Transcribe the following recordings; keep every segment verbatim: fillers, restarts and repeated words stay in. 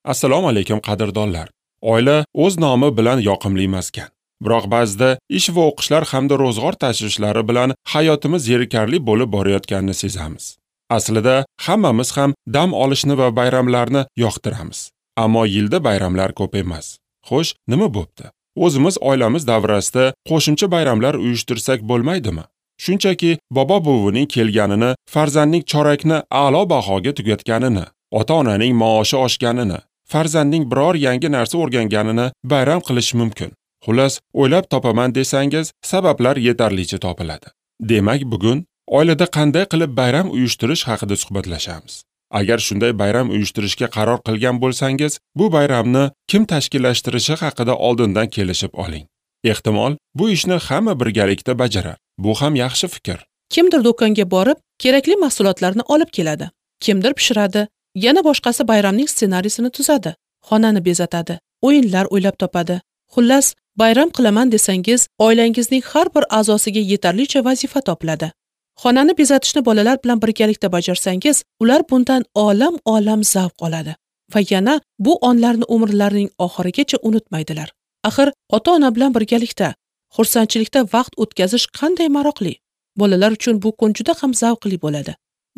Assalomu alaykum qadrdonlar. Oila o'z nomi bilan yoqimli maskan. Biroq ba'zida ish va o'qishlar hamda ro'zg'or tashvishlari bilan hayotimiz zerikarli bo'lib borayotganini sezamiz. Aslida hammamiz ham dam olishni va bayramlarni yoqtiramiz. Ammo yilda bayramlar ko'p emas. Xo'sh, nima bo'pti? O'zimiz oilamiz davrasida qo'shimcha bayramlar uyushtirsak bo'lmaydimi? Shunchaki bobo-buvining kelganini, farzandning chorakni a'lo bahoga tugatganini, ota-onaning maoshi oshganini, farzandning biror yangi narsa o'rganganini bayram qilish mumkin. Xullas, o'ylab topaman desangiz, sabablar yetarlicha topiladi. Demak, bugun oilada qanday qilib bayram uyushtirish haqida suhbatlashamiz. Agar shunday bayram uyushtirishga qaror qilgan bo'lsangiz, bu bayramni kim tashkillashtirishi haqida oldindan kelishib oling. Ehtimol, bu ishni hamma birgalikda bajarar. Bu ham yaxshi fikr. Kimdir do'konga borib, kerakli mahsulotlarni olib keladi. Kimdir pishiradi, yana boshqasi bayramning ssenariysini tuzadi, xonani bezatadi, o'yinlar o'ylab topadi. Xullas, bayram qilaman desangiz, oilangizning har bir a'zosiga yetarlicha vazifa topiladi. Xonani bezatishni bolalar bilan birgalikda bajarsangiz, ular bundan olam-olam zavq oladi va yana bu onlarni umrlarining oxirigacha unutmaydilar. Axir ota-ona bilan birgalikda xursandchilikda vaqt o'tkazish qanday maroqli. Bolalar uchun bu kun juda ham zavqli bo'ladi.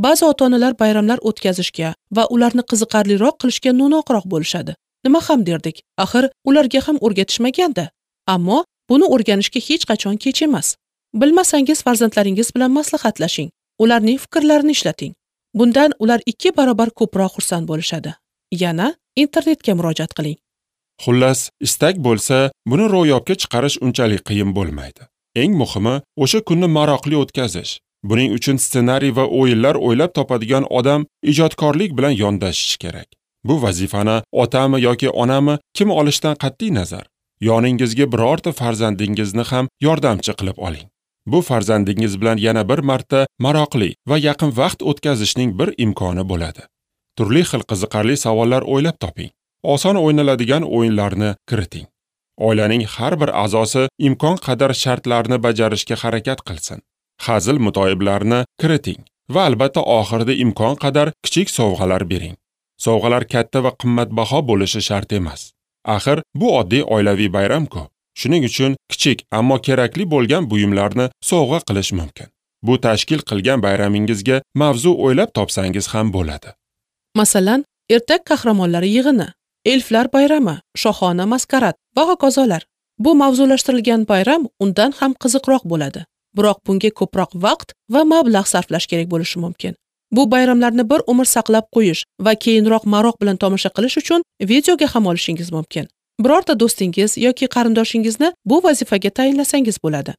Ba'zi ota-onalar bayramlar o'tkazishga va ularni qiziqarliroq qilishga no'noqroq bo'lishadi. Nima ham derdik? Axir ularga ham o'rgatishmaganda. Ammo buni o'rganishga hech qachon kech emas. Bilmasangiz farzandlaringiz bilan maslahatlashing, ularning fikrlarini ishlating. Bundan ular ikki barobar ko'proq xursand bo'lishadi. Yana internetga murojaat qiling. Xullas, istak bo'lsa, buni ro'yobga chiqarish unchalik qiyin bo'lmaydi. Eng muhimi, o'sha kunni maroqli o'tkazish. Buning uchun ssenariy va o'yinlar o'ylab topadigan odam ijodkorlik bilan yondashishi kerak. Bu vazifani otami yoki onami kim olishdan qat'iy nazar, yoningizga birorta farzandingizni ham yordamchi qilib oling. Bu farzandingiz bilan yana bir marta maroqli va yaqin vaqt o'tkazishning bir imkoni bo'ladi. Turli xil qiziqarli savollar o'ylab toping. Oson o'ynaladigan o'yinlarni kiriting. Oilaning har bir a'zosi imkon qadar shartlarni bajarishga harakat qilsin. Hazil mutoyiblarni kiriting va albatta oxirida imkon qadar kichik sovg'alar bering. Sovg'alar katta va qimmatbaho bo'lishi shart emas. Axir bu oddiy oilaviy bayram-ku. Shuning uchun kichik, ammo kerakli bo'lgan buyumlarni sovg'a qilish mumkin. Bu tashkil qilgan bayramingizga mavzu o'ylab topsangiz ham bo'ladi. Masalan, ertak qahramonlari yig'ini, elflar bayrami, shohona maskarad va hokazolar. Bu mavzulashtirilgan bayram undan ham qiziqroq bo'ladi. Biroq bunga ko'proq vaqt va mablag' sarflash kerak bo'lishi mumkin. Bu bayramlarni bir umr saqlab qo'yish va keyinroq maroq bilan tomosha qilish uchun videoga ham olishingiz mumkin. Birorta do'stingiz yoki qarindoshingizni bu vazifaga tayinlasangiz bo'ladi.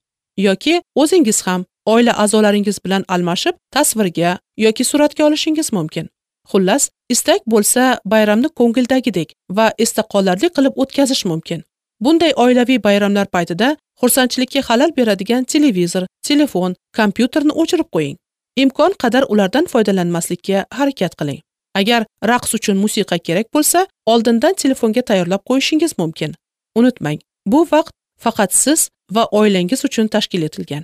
Yoki o'zingiz ham oila a'zolaringiz bilan almashib tasvirga yoki suratga olishingiz mumkin. Xullas, istak bo'lsa bayramni ko'ngildagidek va esda qolarli qilib o'tkazish mumkin. Bunday oilaviy bayramlar paytida xursandchilikka xalal beradigan televizor, telefon, kompyuterni o'chirib qo'ying. Imkon qadar ulardan foydalanmaslikka harakat qiling. Agar raqs uchun musiqa kerak bo'lsa, oldindan telefonga tayyorlab qo'yishingiz mumkin. Unutmang, bu vaqt faqat siz va oilangiz uchun tashkil etilgan.